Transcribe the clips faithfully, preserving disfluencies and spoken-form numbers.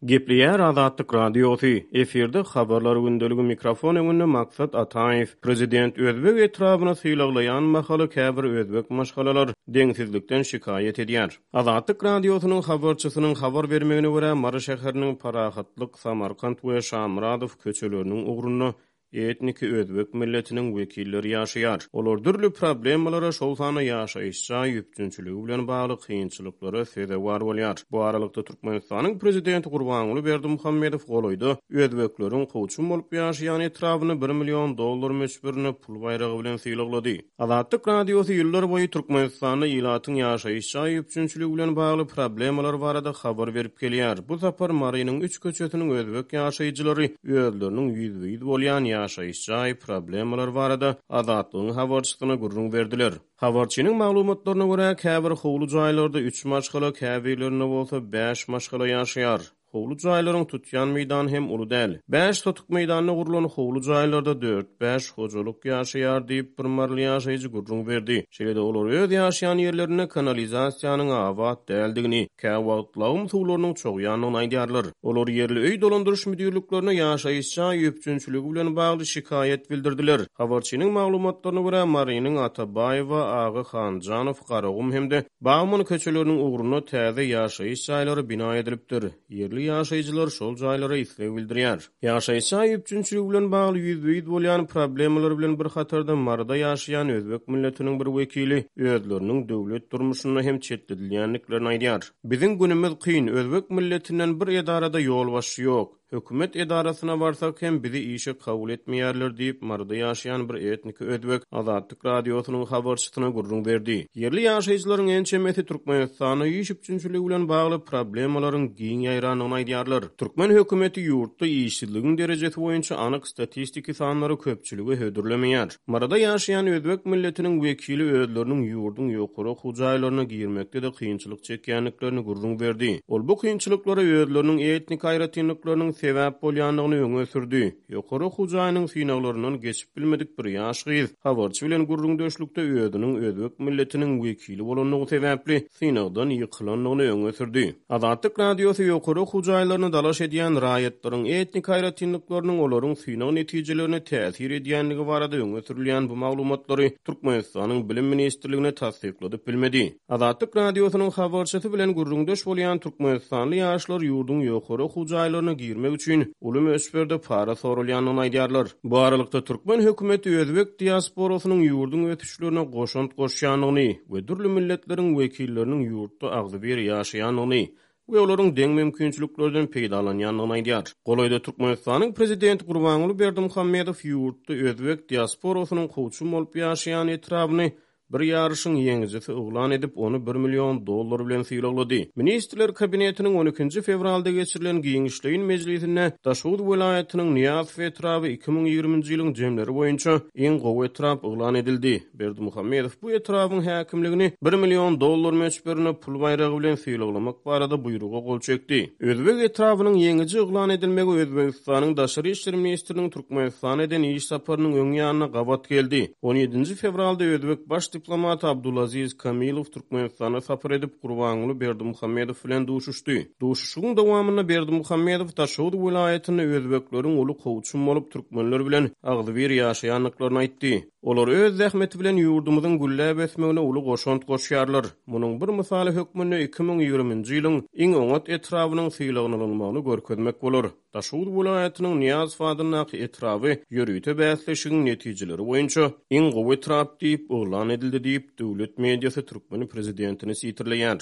Gepleýär Azatlyk Radiosy, efirde Habarlar gündeligi mikrofon öňünde Maksat Ataýew. Prezident özbek etrabyny sylaglaýan mahaly käbir özbek maşgalalar deňsizlikden şikaýat edýär. Azatlyk Radiosynyň habarçysynyň habar bermegine görä, Mary şäheriniň Parahatlyk, Samarkant we Şamyradow köçeleriniň ugrunda etniki özbek milletiniň wekilleri ýaşaýar. Olar dürli problemalara, şol sanda ýaşaýyş jaý üpjünçiligi bilen bagly kynçylyklara sezewar bolýar. Bu aralykda Türkmenistanyň prezidenti Gurbanguly Berdimuhamedow golaýda özbekleriň kowçum bolup ýaşaýan etrabyny bir million dollar möçberinde pul baýragy bilen sylaglady. Azatlyk Radiosy ýyllar boýy Türkmenistanda ilatyň ýaşaýyş jaý üpjünçiligi bilen bagly problemalar barada habar berip gelýär. Bu sapar Marynyň üç köçesiniň özbek ýaşaýjylary özleriniň ýüzbe-ýüz bolýan ýaşaýyş jaý problemalar barada Azatlygyň habarçysyna gürrüň berdiler. Habarçynyň maglumatlaryna görä, käbir howly jaýlarda üç maşgala, käbirlerinde bolsa bäş maşgala ýaşaýar. Howly jaýlaryň tutýan meýdany hem uly däl. Bäş sotuk meýdanda gurlan howly jaýlarda dört-bäş hojalyk ýaşaýar diýip, bir maryly ýaşaýjy gürrüň berdi. Şeýle-de olar öz ýaşaýan ýerlerinde kanalizasiýanyň abat däldigini, käwagt lagym suwlarynyň çogýandygyny aýdýarlar. Olar ýerli öý dolandyryş müdirliklerine ýaşaýyş jaý üpjünçiligi bilen bagly şikaýat bildirdiler. Habarçynyň maglumatlaryna görä, Marynyň Atabaýewa, Aga Hanjanow, Garagum hem-de Bagman köçeleriniň ugrunda täze ýaşaýyş jaýlary bina edilipdir. Ýerli ýaşaýjylar şol jaýlara isleg bildirýär. Ýaşaýyş jaý üpjünçiligi bilen bagly ýüzbe-ýüz bolýan problemalar bilen bir hatarda Maryda ýaşaýan özbek milletiniň bir wekili özleriniň döwlet durmuşynda hem çetledilýändiklerini aýdýar. Biziň günümiz kyn, özbek milletinden bir edarada ýolbaşçy ýok. Hökümet edarasyna barsak hem bizi işe kabul etmeýärler diýip, Maryda ýaşaýan bir etniki özbek Azatlyk Radiosynyň habarçysyna gürrüň berdi. Ýerli ýaşaýjylaryň ençemesi Türkmenistanda iş üpjünçiligi bilen bagly problemalaryň giň ýaýrandygyny aýdýarlar. Türkmen hökümeti ýurtda işsizligiň derejesi boýunça anyk statistiki sanlary köpçülige hödürlemeýär. Maryda ýaşaýan özbek milletiniň wekili özleriniň ýurduň ýokary okuw jaýlaryna girmekde-de kynçylyk çekýändiklerini gürrüň berdi. Ol bu kynçylyklara özleriniň etnik aýratynlyklarynyň sebäp bolýandygyny öňe sürdi. Ýokary okuw jaýynyň synaglaryndan geçip bilmedik bir ýaş gyz habarçy bilen gürrüňdeşlikde özüniň özbek milletiniň wekili bolandygy sebäpli synagdan ýykylandygyny öňe sürdi. Azatlyk Radiosy ýokary okuw jaýlaryna dalaş edýän raýatlaryň etnik aýratynlyklarynyň olaryň synag netijelerine täsir edýändigi barada öňe sürülýän bu maglumatlary Türkmenistanyň Bilim ministrligine tassykladyp bilmedi. Azatlyk Radiosynyň habarçysy bilen gürrüňdeş bolýan türkmenistanly ýaşlar ýurduň ýokary okuw jaýlaryna girmek üçin uly möçberde para sorulýandygyny aýdýarlar. Bu aralykda türkmen hökümeti özbek diasporasynyň ýurduň ösüşlerine goşant goşýandygyny we dürli milletleriň wekilleriniň ýurtda agzybir ýaşaýandygyny we olaryň deň mümkinçiliklerden peýdalanýandygyny aýdýar. Golaýda Türkmenistanyň prezidenti Gurbanguly Berdimuhamedow ýurtda özbek diasporasynyň kowçum bolup ýaşaýan etrabyny bir ýaryşyň ýeňijisi yglan edip, ony bir million dollar bilen sylaglady. Ministrler kabinetiniň on ikinji fewralda geçirilen giňişleýin mejlisinde Daşoguz welaýatynyň Nyýazow etraby iki müň ýigriminji ýylyň jemleri boýunça iň gowy etrap yglan edildi. Berdimuhamedow bu etrabyň häkimligini bir million dollar möçberinde pul baýragy bilen sylaglamak barada buýruga gol çekdi. Özbek etrabynyň ýeňiji yglan edilmegi Özbegistanyň Daşary işler ministriniň Türkmenistana eden iş saparynyň öň ýanyna gabat geldi. On ýedinji fewralda özbek baş diplomaty Abdulaziz Kamilow Türkmenistana sapar edip, Gurbanguly Berdimuhamedow bilen duşuşdy. Duşuşygyň dowamynda Berdimuhamedow Daşoguz welaýatynda özbekleriň uly kowçum bolup türkmenler bilen agzybir ýaşaýandyklaryny aýtdy. Olar öz zähmeti bilen ýurdumyzyň gülläp ösmegine uly goşant goşýarlar. Munuň bir mysaly hökmünde iki müň ýigriminji ýylyň iň oňat etrabynyň sylagnylmagyny görkezmek bolar. Daşoguz welaýatynyň Nyýazow adyndaky etraby ýörite bäsleşigiň netijeleri boýunça iň gowy etrap diýip yglan edildi diýip, döwlet mediasy türkmen prezidentini sitirleýär.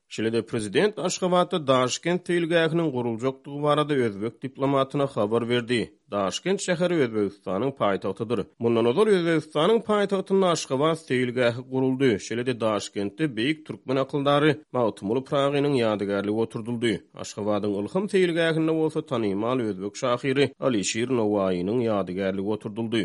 Şeýle-de prezident Aşgabatda Daşkent seýilgähiniň guruljakdygy barada özbek diplomatyna habar berdi. Daşkent şäheri Özbegistanyň paýtagtydyr. Mundan ozal Özbegistanyň paýtagtynda Aşgabat seýilgähi guruldy. Şeýle-de Daşkentde beýik türkmen akyldary Magtymguly Pyragynyň ýadygärligi oturdyldy. Aşgabadyň Ylham seýilgähinde bolsa tanymal özbek şahyry Alişir Nowaýynyň ýadygärligi oturdyldy.